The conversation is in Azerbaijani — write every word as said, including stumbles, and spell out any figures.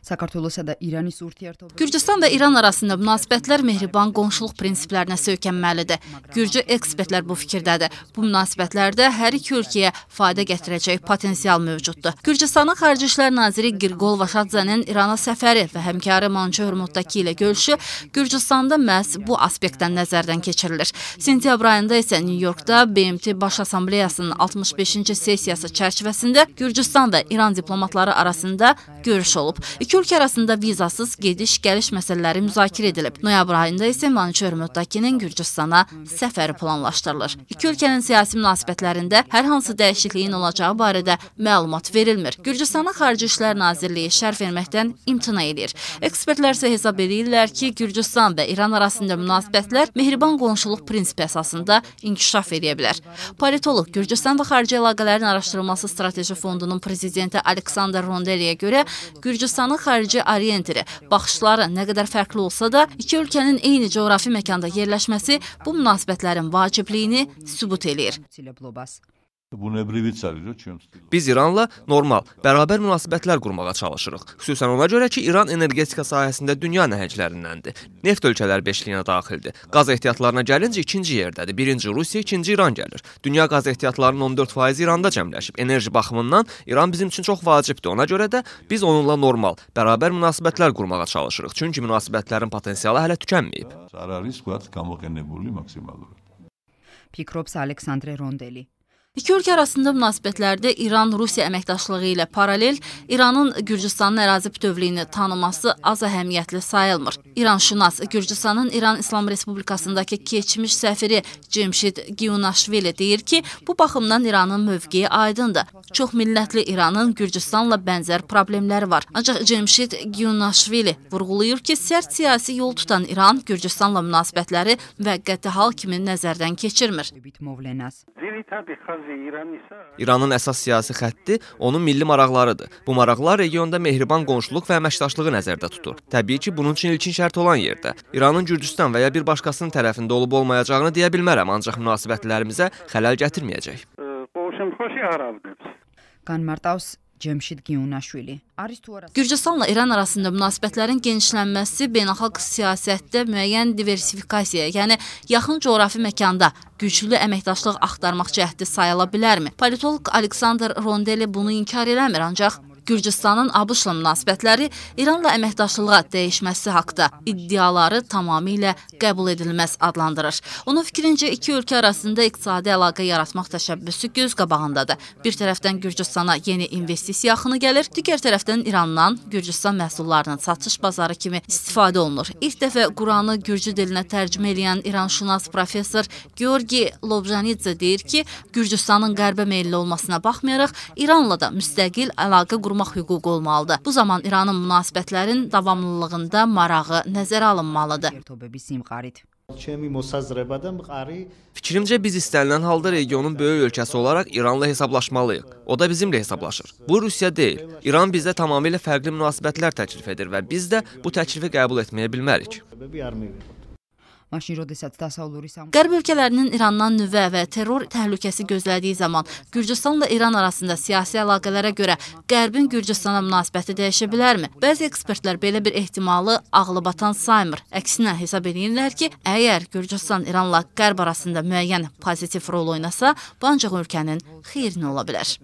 საქართველოსა და ირანის ურთიერთობა Gürcüstan və İran arasında münasibətlər mehriban qonşuluq prinsiplərinə söykənməlidir. Gürcü ekspertlər bu fikirdədir. Bu münasibətlərdə hər iki ölkəyə fayda gətirəcək potensial mövcuddur. Gürcüstanın Xarici İşlər Naziri Girgol Vaşadzənin İrana səfəri və həmkarı Manço Hürmuddaki ilə görüşü Gürcüstanda məhz bu aspektdən nəzərdən keçirilir. Sentyabr ayında isə New Yorkda B M T Baş Assambleyasının altmış beşinci sessiyası çərçivəsində Gürcüstan və İran diplomatları arasında görüş olub. İki ölkə arasında vizasız gediş-gəliş məsələləri müzakirə edilib. Noyabr ayında isə Manço Hürmuddakinin Gürcüstana səfəri planlaşdırılır. İki ölkənin siyasi münasibətlərində hər hansı dəyişikliyin olacağı barədə məlumat verilmir. Gürcüstanın Xarici İşlər Nazirliyi şərh verməkdən imtina edir. Ekspertlər isə hesab edirlər ki, Gürcüstan və İran arasında münasibətlər mehriban qonşuluq prinsipi əsasında inkişaf edə bilər. Politolog Gürcüstan və Xarici Əlaqələrin Araşdırılması Strateji Fondunun prezidenti Aleksandr Rondeliyə görə Gürcüstanın xarici orientiri baxışları nə qədər fərqli olsa da, iki ölkənin eyni coğrafi məkanda yerləşməsi bu münasibətlərin vacibliyini sübut eləyir. Biz İranla normal, bərabər münasibətlər qurmağa çalışırıq. Xüsusən ona görə ki, İran energetika sahəsində dünya nəhənglərindəndir. Neft ölkələr beşliyinə daxildir. Qaz ehtiyatlarına gəlincə ikinci yerdədir. Birinci Rusiya, ikinci İran gəlir. Dünya qaz ehtiyatlarının on dörd faizi İranda cəmləşib. Enerji baxımından İran bizim üçün çox vacibdir. Ona görə də biz onunla normal, bərabər münasibətlər qurmağa çalışırıq. Çünki münasibətlərin potensialı hələ tükənməyib. Fikrobs Aleksandr Rondeli. İki ölkə arasında münasibətlərdə İran-Rusiya əməkdaşlığı ilə paralel İranın Gürcüstanın ərazi bütövlüyünü tanıması az əhəmiyyətli sayılmır. İranşünas Gürcüstanın İran İslam Respublikasındakı keçmiş səfiri Cemşid Giyunaşvili deyir ki, bu baxımdan İranın mövqeyi aydındır. Çox millətli İranın Gürcüstanla bənzər problemləri var. Ancaq Cemşid Giyunaşvili vurğulayır ki, sərt siyasi yol tutan İran Gürcüstanla münasibətləri və qəti hal kimi nəzərdən keçirmir. İranın əsas siyasi xətti onun milli maraqlarıdır. Bu maraqlar regionda mehriban qonşuluq və əməkdaşlığı nəzərdə tutur. Təbii ki, bunun üçün ilkin şərt olan yerdə. İranın Gürcüstan və ya bir başqasının tərəfində olub olmayacağını deyə bilmərəm, ancaq münasibətlərimizə xələl gətirməyəcək. Qanmartaus Cemşid Giyunaşvili. Gürcüstanla İran arasında münasibətlərin genişlənməsi beynəlxalq siyasətdə müəyyən diversifikasiya, yəni yaxın coğrafi məkanda güclü əməkdaşlıq axtarmaq cəhdi sayıla bilərmi? Politolog Aleksandr Rondeli bunu inkar eləmir, ancaq Gürcüstanın ABŞ-la münasibətləri İranla əməkdaşlığa dəyişməsi haqda iddiaları tamamilə qəbul edilməz adlandırır. Onun fikrincə, iki ölkə arasında iqtisadi əlaqə yaratmaq təşəbbüsü göz qabağındadır. Bir tərəfdən Gürcüstana yeni investisiya axını gəlir, digər tərəfdən İrandan Gürcüstan məhsullarının satış bazarı kimi istifadə olunur. İlk dəfə Quranı Gürcü dilinə tərcümə eləyən İranşünas professor Georgi Lobjanidze deyir ki, Gürcüstanın qərbə meyilli olmasına baxmayaraq, İranla da müstəqil əlaqə qurmaq hüququ olmalıdır. Bu zaman İranın münasibətlərin davamlılığında marağı nəzərə alınmalıdır. Fikrimcə biz istənilən halda regionun böyük ölkəsi olaraq İranla hesablaşmalıyıq. O da bizimlə hesablaşır. Bu Rusiya deyil. İran bizdə tamamilə fərqli münasibətlər təklif edir və biz də bu təklifi qəbul etməyə bilmərik. Qərb ölkələrinin İrandan nüvə və terror təhlükəsi gözlədiyi zaman Gürcüstanla İran arasında siyasi əlaqələrə görə Qərbin Gürcüstana münasibəti dəyişə bilərmi? Bəzi ekspertlər belə bir ehtimalı ağlabatan saymır. Əksinə hesab edirlər ki, əgər Gürcüstan İranla Qərb arasında müəyyən pozitiv rol oynasa, bu ancaq ölkənin xeyrinə ola bilər.